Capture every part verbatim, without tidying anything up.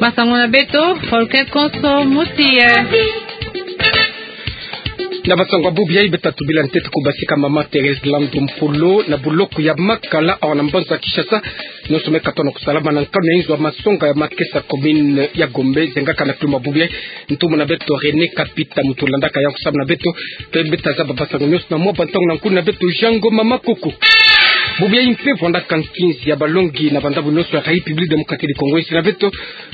Masangu na beto, Volker Konso Mosi ye. Na masangu ya bubu yayi, beta tubila ntete kubasika mama Thérèse Landu Mpolo na buloko ya Makala awa na mbanza Kinshasa. Nyonso me katono kusalama na nkanu ya inzo ya masonga ya Makesa, commune ya Gombe, zengaka na kilumbu ya bubu yayi. Ntumbu na beto René Kapita, muntu landaka yawu kusamu na beto. Mpe beta zaba basangu nyonso na mwa bantangu na nkuna na beto Jean Ngoma Makoko. Bubu yayi mpe vwandaka nkinzi ya balongi na bandambu nyonso ya République Démocratique du Congo, insi na beto.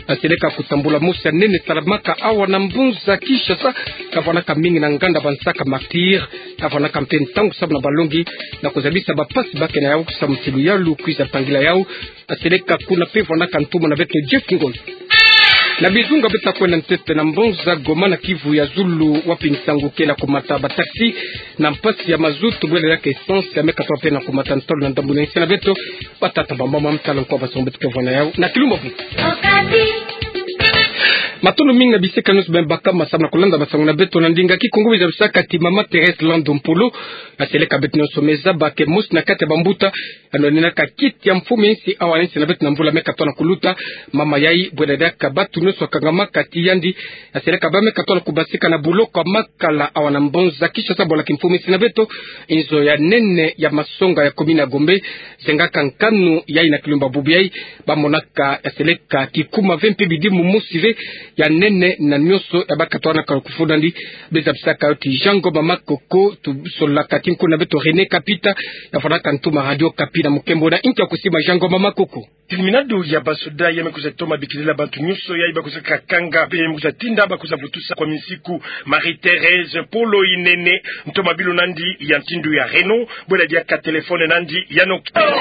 Aseleka kutambula mosi ya nene salamaka awa na mbanza Kinshasa, kavwandaka mingi na nganda bansaka Martyrs, kavwandaka mpe ntangu samu na balongi na kuzabisa bapasi bake na yawu kusamu ti luyalu kwiza tangila yawu. Aseleka kuna mpe vwandaka ntumbu na beto Jeff Ngoy. Na bizunga beta kwenda ntete na mbanza Goma na Kivu ya zulu, wapi nsangu ke na kumata bataxi na mpasi ya mazutu, bwela yaka essence ya me katono mpe na kumata ntolo na ndambu na insi na beto. Batata, bamama, mtala, nkwa, basangu beto ke vwanda yawu na kilumbu ya bubu. Matondo mingi na bisika nyonso beno baka masamu na kulanda masangu na beto na ndinga Kikongo. Biza bisaka ti mama Thérèse Landu Mpolo, aseleka beto nyonso me zaba ke mosi na kati ya bambuta yano ninaka kiti ya mfumu ya insi awa na insi na beto na mvula me katono kuluta. Mama yayi, bwela diaka batu nyonso kangamaka ti yandi, aseleka bâ me katono kubasika na buloko ya Makala awa na mbanza Kinshasa, bwala kimfumu ya insi na beto, inzo ya nene ya masonga ya commune ya Gombe, zengaka nkanu yayi na kilumbu ya bubu yayi. Bamonaka aseleka kikuma ve mpe bidimbu mosi ve ya nene na nyonso ya bakatwanaka kufunda ndi. Biza bisaka yo ti Jean Ngoma Makoko, tusololaka ti nkuna na beto René Kapita, ya vwandaka ntumbu ya Radio Okapi na mukembo na inki ya kusima, Jean Ngoma Makoko. Tilminado ya basoda ya me kwiza toma bikilila bantu nyonso yayi bakwiza kakanga, mpe ya me kwiza tinda bakwiza vutusa kwa minsiku Marie-Thérèse Mpolo Inene, ntoma bilo nandi ya ntindu ya Renault, bwela diaka telefone nandi ya Nokia.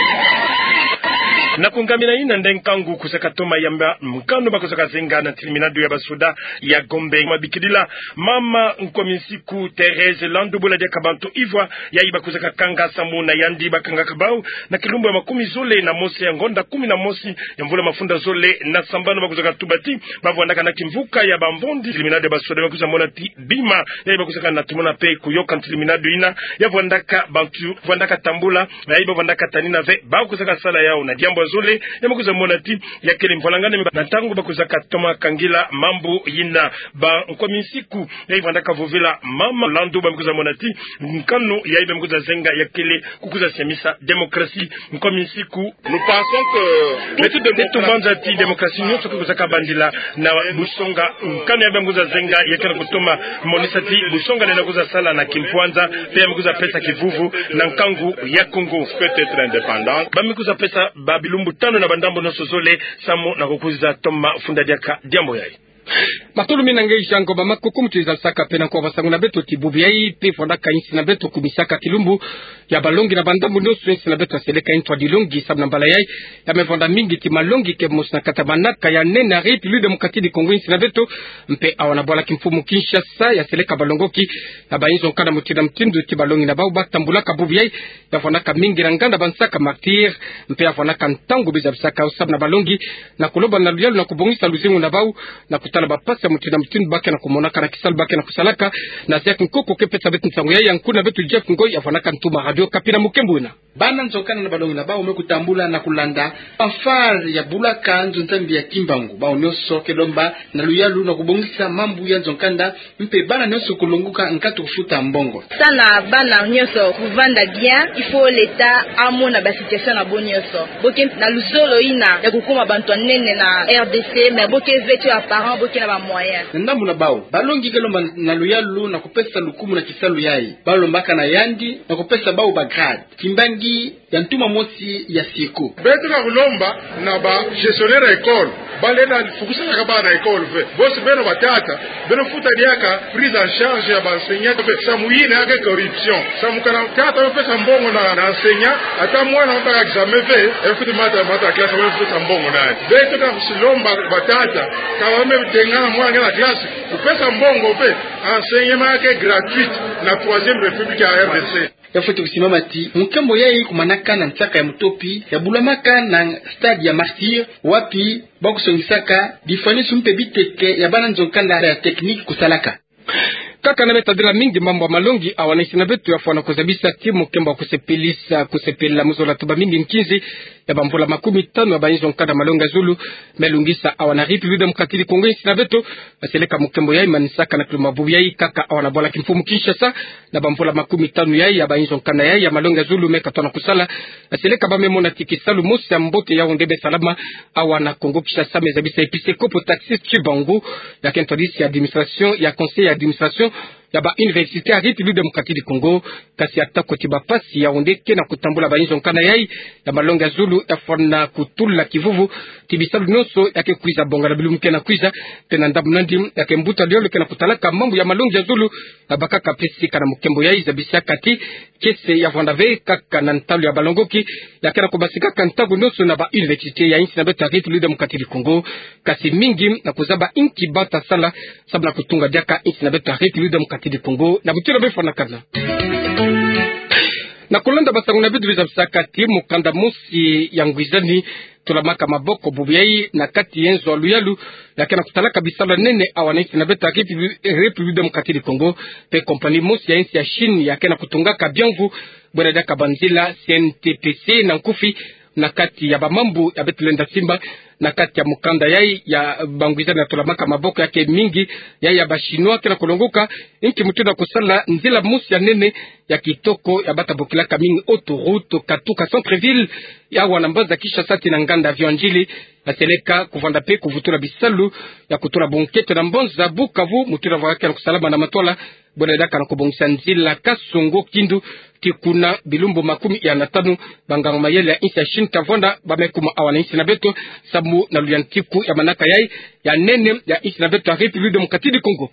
Na kungamina yina nde nkangu kwiza katoma yamba nkanu bakwiza kazenga na tilminado ya basoda ya Gombe. Mabikilila mama nkwa minsiku Thérèse Landu, bwela diaka bantu ivwa yayi bakwiza kakanga samu na yandi bakangaka bawu na kilumbu ya makumi zole na mosi ya ngonda kumi na mosi ya mvula mafunda zole na sambanu. Bakwiza katuba ti bavwandaka na kimvuka ya bambondi. Tilminado ya basoda me kwiza mona ti bima yayi bakwiza kana tumona mpe kuyoka tilminado yina, ya vwandaka bantu vwandaka tambula, yayi bavwandaka tanina ve bakwiza kasala yawu na diambu ya zole. Ya me kwiza mona ti ya kele mvwalangane na ntangu bakwiza katoma kangila mambu yina. Ba nkwa minsiku yayi vwandaka vovela mama Landu, ba me kwiza mona ti nkanu yayi ba me kwiza zenga ya kele kukwiza siamisa démocratie. Nkwa minsiku. Nous pensons que beto, beto banza ti démocratie nyonso ke kwiza kabandila na busonga. Nkanu yayi ba me kwiza zenga ya kele kutoma monisa ti busonga nena kwiza sala na kimpwanza, mpe ya me kwiza pesa kivuvu na nkangu ya Congo. Peut être indépendant. Ba me kwiza pesa ba bilumbu tanu na bandambu nyonso zole samu na kukwiza toma funda diaka diambu yayi. Matondo mingi na nge Jean Ngoma Makoko. Mutu iza saka mpe na nkwa basangu na beto ti bubu yayi mpe vwandaka insi na beto kumisaka kilumbu ya balongi na bandambu nyonso. Insi na beto aseleka ntwa dilongi samu na mbala yayi ya me vwanda mingi ti malongi ke mosi na kati ya manaka ya nene ya République Démocratique du Congo, insi na beto, mpe awa na bwala kimfumu Kinshasa, ya seleka balongoki na bainzo nkanda mutindu na mutindu ti balongi na bawu batambulaka bubu yayi. Ya vwandaka mingi na nganda bansaka Martyrs, mpe ya vwandaka ntangu biza bisaka yo samu na balongi na kuloba na luyalu na kubongisa luzingu na bawu, na kutala bapasi ya mutindu na mutindu ba ke na kumonaka na kisalu ba ke na kusalaka. Na Jacques Nkoko ke pesa beto nsangu yayi, ya nkuna beto Jeff Ngoy ya vwandaka ntoma Radio Okapi na mukembo wena. Bana nzonkanda na balongi na bawu me kutambula na kulanda fanfare ya bulaka nzo Nzambi ya Kimbangu. Bawu nyonso ke lomba na luyalu na kubongisa mambu ya nzonkanda, mpe bana nyonso kulongoka nkatu kufuta mbongo. Samu na bana nyonso kuvanda bien, il faut l'État amona ba situation na bo nyonso. Bo ke na luzolo yina ya kukoma bantu ya nene na R D C, mais bo ke ve ti ba parents, bo ke na ba moyens. Na ndambu na bawu, balongi ke lomba na luyalu na kupesa lukumu na kisalu yayi. Ba lombaka na yandi na kupesa bawu ba grade. Kimbangi ya ntuma mosi ya sieko. Beto ke kulomba na ba gestionnaire ya école, ba lenda fukusanaka bana na école ve. Bo si beno batata, beno futa diaka prise en charge ya ba enseignant ve. Samu yina ya ke corruption. Samu kana tata yo pesa mbongo na, na enseignant, ata mwana yo baka examen ve, e futi mata, mata classe, yo pesa mbongo na. Beto ke kusilomba batata, ka ba me tengana mwana na classe, kupesa mbongo ve. Enseignement ya ke gratuite na Troisième République ya R D C. Ya fweti kusimama ti mukembo yayi kumanaka na nsaka ya mutopi ya bulamaka na stade ya Martyrs, wapi ba kusongisaka bifwanisu mpe biteke ya bana nzonkanda ya technique kusalaka. Kaka na me tadila mingi mambu ya malongi, awa na insi na beto, ya fwana kuzabisa ti mukembo ya kusepelisa, kusepela mu zola tuba mingi nkinzi ya bamvula makumi tanu ya bainzo nkanda malongi ya zulu me lungisa awa na République Démocratique du Congo insi na beto. Aseleka mukembo yayi manisaka na kilumbu ya bubu yayi kaka awa na bwala kimfumu Kinshasa, na bamvula makumi tanu yayi ya bainzo nkanda yayi ya malongi ya zulu me katona kusala. Aseleka ba me mona ti kisalu mosi ya mbote ya onde be salama awa na Congo Kinshasa, me zabisa episkopo Taxis Tshibangu, ya ke ntwadisi ya administration, ya conseil ya administration ya ba université ya République Démocratique du Congo. Kasi atako ti bapasi ya onde ke na kutambula bainzo nkanda yayi ya malongi ya zulu, ya fwana kutula kivuvu ti bisalu nyonso ya ke kwiza bonga na bilumbu ke na kwiza. Pe na ndambu nandi, ya ke mbuta lolo ke na kutalaka mambu ya malongi ya zulu, ya bakaka pe sika na mukembo yayi, zabisaka ti kiese ya vwanda ve kaka na ntalu ya balongoki, ya ke na kubasikaka ntangu nyonso na ba université ya insi na beto ya République Démocratique du Congo. Kasi mingi na kuzaba inki ba ta sala samu na kutunga diaka insi na beto ya République Démocratique du Congo, na butira be fwanakana. Na kulanda basangu na bidu, bizabisaka ti mukanda mosi ya ngwizani tolamaka maboko bubu yayi na kati ya nzo ya luyalu, ya ke na kutalaka bisalu ya nene awa na insi na beto ya Répu-, République Démocratique du Congo. Pe compagnie mosi ya insi ya Chine ya ke na kutungaka bianvu, bwela diaka banzila C N T P C na nkufi, na kati ya bamambu ya beto lenda simba na kati ya mukanda yayi ya bangwizani ya tolamaka maboko ya ke mingi, yayi ya ba Chinois ke na kulongoka inki mutindu ya kusala nzila mosi ya nene ya kitoko ya ba ta bokilaka mingi autoroute katuka centre-ville, ya awa na mbanza Kinshasa tii na nganda Vieux Ndjili. Aseleka kuvanda pe kuvutula bisalu ya kutula bonkento na mbanza Bukavu, mutindu ya vwaka ke na kusalama na matwala, bwela diaka na kubongisa nzila Kasongo-Kindu tii kuna bilumbu makumi ya na tanu. Banganga mayele ya insi ya Chine ta vwanda ba me kuma awa na insi na beto samu na luyantiku ya manaka yayi ya nene ya insi na beto ya République Démocratique du Congo.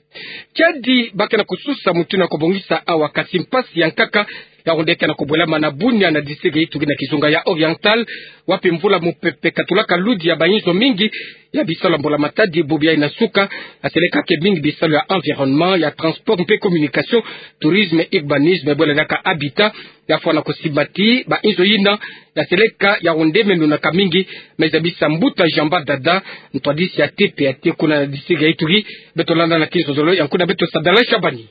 Kiadi ba ke na kususa mutindu ya kubongisa awa, kasi mpasi ya nkaka ya onde ke na kubwelama na Bunia, na district ya Ituri, na kizunga ya Oriental, wapi mvula mupepe katulaka ludi ya bainzo mingi ya bisalu ya mbula matadi bubu yayi na suka. Aseleka ke mingi bisalu ya environnement, ya transport mpe communication, tourisme, urbanisme, bwela diaka habitat, ya fwana kusimba ti bainzo yina ya seleka ya onde me nunaka mingi. Me zabisa mbuta Jean Badada, ntwadisi ya T P A T kuna na district ya Ituri. Beto landa na kizozolo ya nkuna beto Sadala Shabani.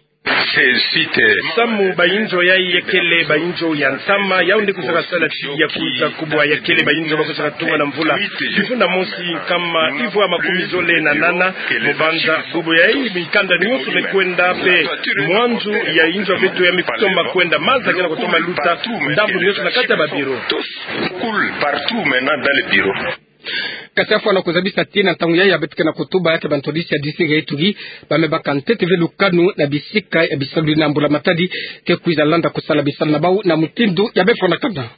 Samu bainzo yayi ya kele bainzo ya ntama, ya onde kwizaka sala ti ya kwiza kubwa ya kele bainzo ba kwizaka tunga na mvula. Kifunda mosi nkama ivwa makumi zole na nana mu banza. Bubu yayi mikanda nyonso me kwenda, pe mwanzu ya inzo ya beto ya me kutoma kwenda, maza ke na kutoma luta ndambu nyonso na kati ya ba bureau. Coule partout maintenant dans les bureaux. Kasi ya fwana kuzabisa ti na ntangu yayi ya beto ke na kutuba, ya ke bantwadisi ya district ya Ituri ba me baka ntete ve lukanu na bisika ya bisalu yina, mbula matadi ke kwiza landa kusala bisalu na bawu na mutindu ya be fwanakana.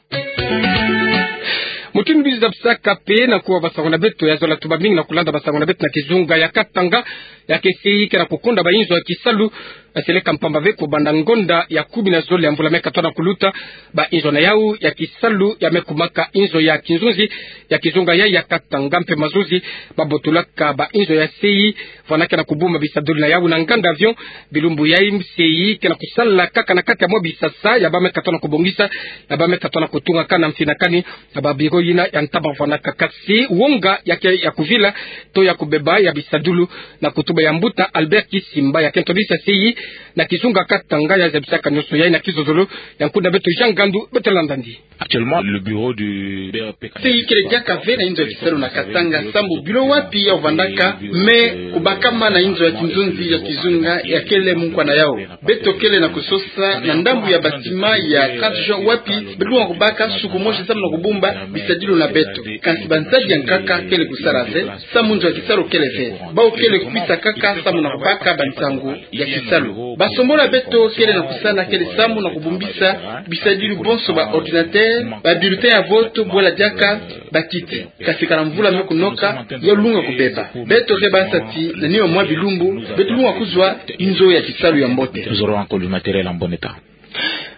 Mutindu bizabisaka pe na kuwa basangu na beto, ya zola tuba mingi na kulanda basangu na beto, na kizunga ya Katanga ya ke sei ke na kukonda bainzo ya kisalu. Aseleka mpamba ve kubanda ngonda ya kumi na zole ya mvula me katona kuluta, bainzo na yawu ya kisalu ya me kumaka inzo ya kinzunzi ya kizunga ya, ya Katanga mpe mazuzi, ba botulaka bainzo ya sei, fwana ke na kubumba bisadulu na yawu na nganda avion. Bilumbu yayi sei ke na kusala kaka na kati ya mwa bisasa ya ba me katona kubongisa, ya ba me katona kutungaka na mfinakani ya ba bureau yina ya ntama fwanaka. Kasi wonga ya ke ya kuvila to ya kubeba ya bisadulu, na kutuba ya mbuta Albert Kisimba, ya ke ntwadisi ya sei na kizunga Katanga, ya zabisaka nyonso yayi na kizozolo ya nkuna beto Jean Gandu. Beto landa ndi. Actuellement, le bureau du B R P Katanga. Sei kele diaka ve na inzo ya kisalu na Katanga, sambu bureau wapi ya vandaka me kubakama na inzo ya kinzunzi ya kizunga ya kele mu nkwa na yawu. Beto kele na kusosa na ndambu ya bâtiment ya trente juin wapi beto lungwa kubaka suku mosi samu na kubumba bisadulu na beto. Kansi banzadi ya nkaka kele kusala ve, samu nzo ya kisalu kele ve. Bawu kele kukwisa kaka samu na kubaka bansangu ya kisalu. Basombolo ya beto kele na kusala kele samu na kubumbisa bisadulu bonso, ba ordinateur, ba bulletin ya vote, bwela diaka bakiti. Kasi kana mvula me kunoka, ya lungwa kubeba. Beto ke bansa ti na nima mwa bilumbu beto lungwa kuzwa inzo ya kisalu ya mbote. Nous aurons encore du matériel en bon état.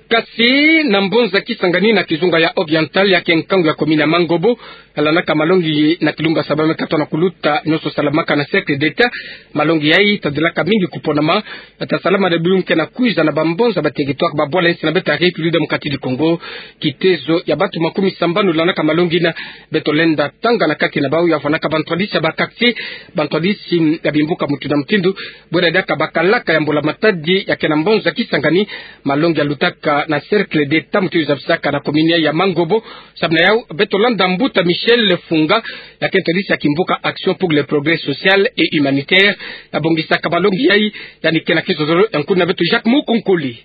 Kasi na mbonza Kisangani na kizunga ya Oriental, ya ke nkangu ya commune ya Mangobo, landaka malongi na kilumbu ya saba me katoa na kuluta, nionso salamaka na Cercle d'État. Malongi yayi tadelaka mingi kuponama, tasalama na bilumbu ke na kwiza na bambonza ba territoire, babwala yinsi na beto ya République Démocratique du Congo. Kitezo ya bantu makumi sambanu landaka malongi yina. Beto lenda tanga na kati na bawu ya vwandaka bantwadisi ya ba quartier, bantwadisi ya bimbuka mutindu na mutindu, bwela diaka bakalaka ya mbula-matadi ya ke na mbonza Kisangani. Malongi yalutaka na Cercle d'État mutindu zabisaka na commune ya Mangobo. Samu na yawu, beto landa mbuta Michel Funga, ya ke ntwadisi ya kimbuka Action pour le Progrès Social et Humanitaire. Yabongisaka malongi yayi, yandi ke na kizololo ya nkuna beto Jacques Mukunkuli.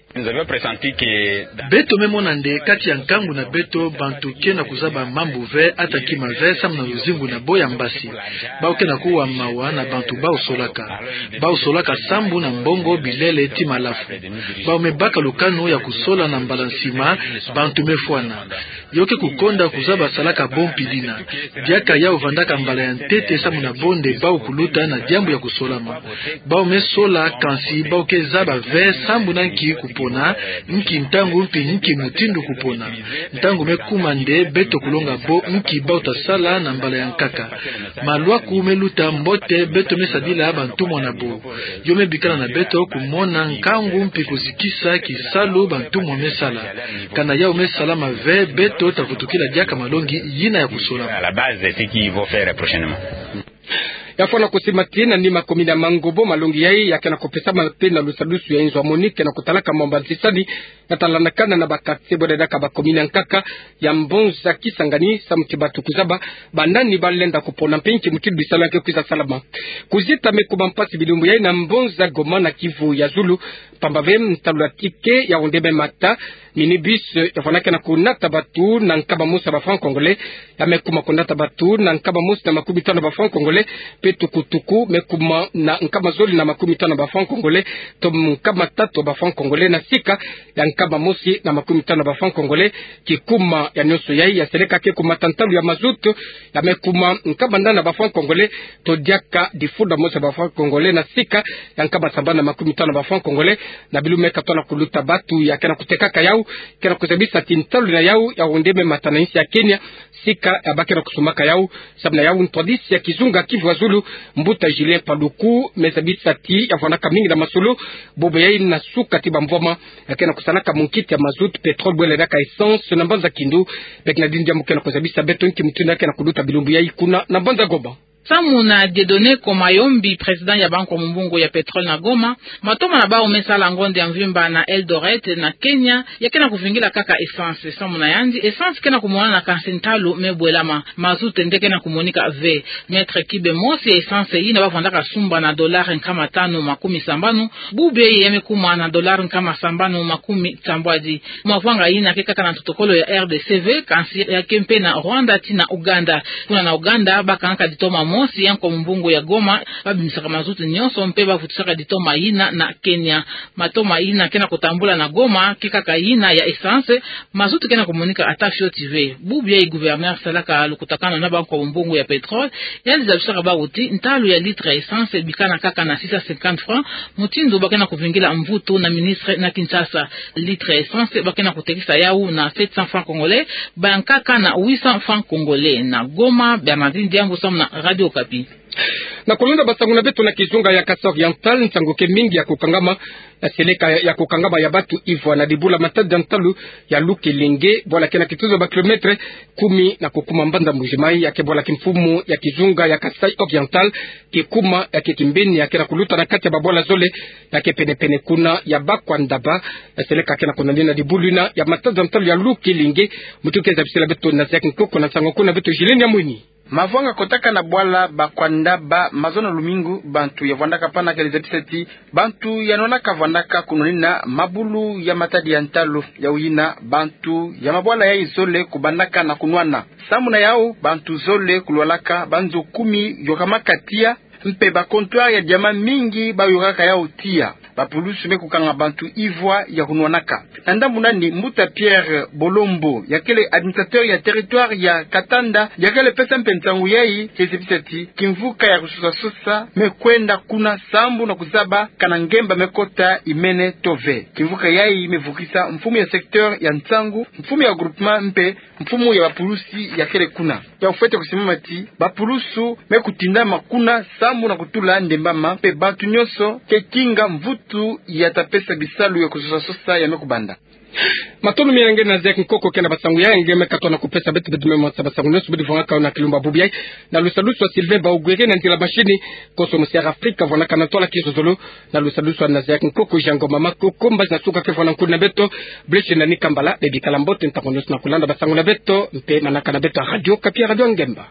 Beto me mona nde kati ya nkangu na beto, bantu ke na kuzaba mambu ve, ata kima ve, samu na luzingu na bo ya mbasi. Bawu ke na kuwa mawa na bantu bawu solaka. Bawu solaka sambu na mbongo, bilele, ti malafu. Bawu me baka lukanu ya kusola, na mbala nsima, bantu me fwana. Yo ke kukonda kuzaba salaka bo mpi dina. Diaka yawu vandaka mbala ya ntete samu na bo nde bawu kuluta na diambu ya kusolama. Bawu me sola, kansi bawu ke zaba ve sambu na nki kupona, nki ntangu mpi nki mutindu kupona. Ntangu me kuma nde beto kulonga bo nki bawu ta sala na mbala ya nkaka. Malwaku me luta mbote, beto me sadila bantumwa na bo. Yo me bikala na beto kumona nkangu mpi kuzikisa kisalu bantumwa me sala. Kana yawu me salama ve, beto ta vutukila diaka malongi yina ya kusola. À la base, c'est ce qu'il faut faire prochainement. Ya fwana kusimati na nima commune ya Mangobo, malongi yayi ya ke na kupesama mpe na lusadusu ya inzo ya MONUC ke na kutalaka mambu ya ntisani, ya ta landakana na ba quartier, bwela diaka ba commune ya nkaka ya mbonza Kisangani, samu ti bantu kuzaba banani ba lenda kupona mpe nki mutindu bisalu ya ke kwiza salama. Kuzita me kuma mpasi bilumbu yayi na mbonza Goma na Kivu ya zulu, pamba ve ntalu ya ticket ya onde me mata. Minibus ya fwana ke na kunata bantu na nkama mosi ya ba francs congolais, ya me kuma kunata bantu na nkama mosi na makumi tanu ya ba francs congolais, mpe tukutuku me kuma na nkama zole na makumi tanu ya ba francs congolais, to nkama tatu ya ba francs congolais na sika ya nkama mosi na makumi tanu ya ba francs congolais. Kikuma ya nionso yayi, ya seleka ke kumata ntalu ya mazout, ya me kuma nkama nana ya ba francs congolais, to diaka difunda mosi ya ba francs congolais na sika ya nkama sambanu na makumi tanu ya ba francs congolais. Na bilumbu me katoa na kuluta, bantu ya ke na kutekaka yawu ke na kuzabisa ti ntalu na yawu ya onde me mata na insi ya Kenya, sika ya ba ke na kusumbaka yawu. Samu na yawu, ntwadisi ya kizunga Kivu ya zulu, mbuta Julien Paluku, me zabisa ti ya vwandaka mingi na masolo, bubu yayi na suka ti bamvwama, ya ke na kusalaka munkiti ya mazout, pétrole, bwela diaka essence na mbanza Kindu. Beke na dini diambu ke na kuzabisa beto nki mutindu ya ke na kuluta bilumbu yayi kuna na mbanza Goma. Samu na Dieudonné Komayombi, président ya bankwa mumbungu ya pétrole na Goma, matoma na bawu me sala ngonde ya mvimba na Eldoret na Kenya, ya ke na kuvingila kaka essence. Samu na yandi, essence ke na kumonana, kansi ntalu me bwelama. Mazout nde ke na kumonika ve. Mètre cube mosi ya essence yina ba vandaka sumba na dollar nkama tanu makumi sambanu, bubu yayi ya me kuma na dollar nkama sambanu makumi sambwadi. Mavanga yina ke kaka na ntotokolo ya R D C ve, kansi ya ke mpe na Rwanda ti na Uganda. Kuna na Uganda, ba kangaka ditoma mosi ya nkwa mumbungu ya Goma, ba bimisaka mazout nionso mpe ba vutusaka ditoma yina na Kenya. Matoma yina ke na kutambula na Goma ke kaka yina ya essence, mazout ke na kumonika ata fioti ve. Bubu yayi gouverneur salaka lukutakanu na bankwa mumbungu ya pétrole, yandi zabisaka bawu ti ntalu ya litre ya essence bikana kaka na six cent cinquante francs, mutindu ba ke na kuvingila mvutu na ministre na Kinshasa. Litre ya essence ba ke na kutekisa yawu na sept cents francs congolais, ba ya nkaka na huit cents francs congolais. Na Goma, Bernardine Diambu, samu na Radio Okapi. Na kulonda basangu na beto na kizunga ya Kasaï Oriental, nsangu ke mingi ya kukangama, ya seleka ya kukangama ya bantu ivwa na dibula matadi ya ntalu ya Loukelenge, bwala ke na kituzu ya ba kilomètre kumi na kukuma mbanza Mbuji-Mayi, ya ke bwala kimfumu ya kizunga ya Kasaï Oriental, kikuma ya ke kimbeni ya ke na kuluta na kati ya babwala zole ya ke penepene kuna ya Bakwandaba. Ya seleka ke na kunanina dibula yina ya matadi ya ntalu ya Loukelenge. Mutu ke zabisila beto na Zac Nkoko, na nsangu kuna beto Julienne Yamweni. Mavanga kotaka na bwala Bakwandaba mazono lumingu, bantu ya vwandaka pana ke zabisa ti bantu ya nwanaka vwandaka kunwanina mabulu ya matadi ya ntalu. Yawu yina, bantu ya mabwala yayi zole kubandaka na kunwana. Samu na yawu, bantu zole kulwalaka, banzo kumi yokamaka tiya, mpe ba comptoir ya diamant mingi ba yokaka yawu tiya. Bapulusu me kukanga bantu ivwa ya kunwanaka. Na ndambu nani, mbuta Pierre Bolombo, ya kele administrateur ya territoire ya Katanda, ya kele pesa mpe nsangu yayi, kizibisa ti kimvuka ya kusosa-sosa me kwenda kuna sambu na kuzaba kana ngemba me kota imene to ve. Kimvuka yayi me vukisa mfumu ya secteur ya nsangu, mfumu ya groupement mpe mfumu ya bapulusi ya kele kuna. Ya ufwete kusimama ti bapulusu me kutindama kuna sambu na kutula ndembama mpe bantu nyonso ke kinga mvutu ya ta pesa bisalu ya kusosa-sosa ya me kubanda. Matondo mingi na nge Nazaire Kinkoko, kiana basangu ya nge me katoa na kupesa beto, beto me mwasa basangu nyonso bidi vwangaka na kilumbu bubu yayi. Na lusalusu a Sylvain Baogwere na nzila machine, konso musi Air Afrique vwanaka na ntwala kizololo. Na lusalusu a Nazaire Kinkoko, Jean Ngoma Makoko, mbazi na suka ke vwa na nkuni na beto, Blaise na Nikambala, bebikala mbote ntangu nyonso na kulanda basangu na beto, mpe manaka na beto ya Radio Okapi, Radio Ngemba.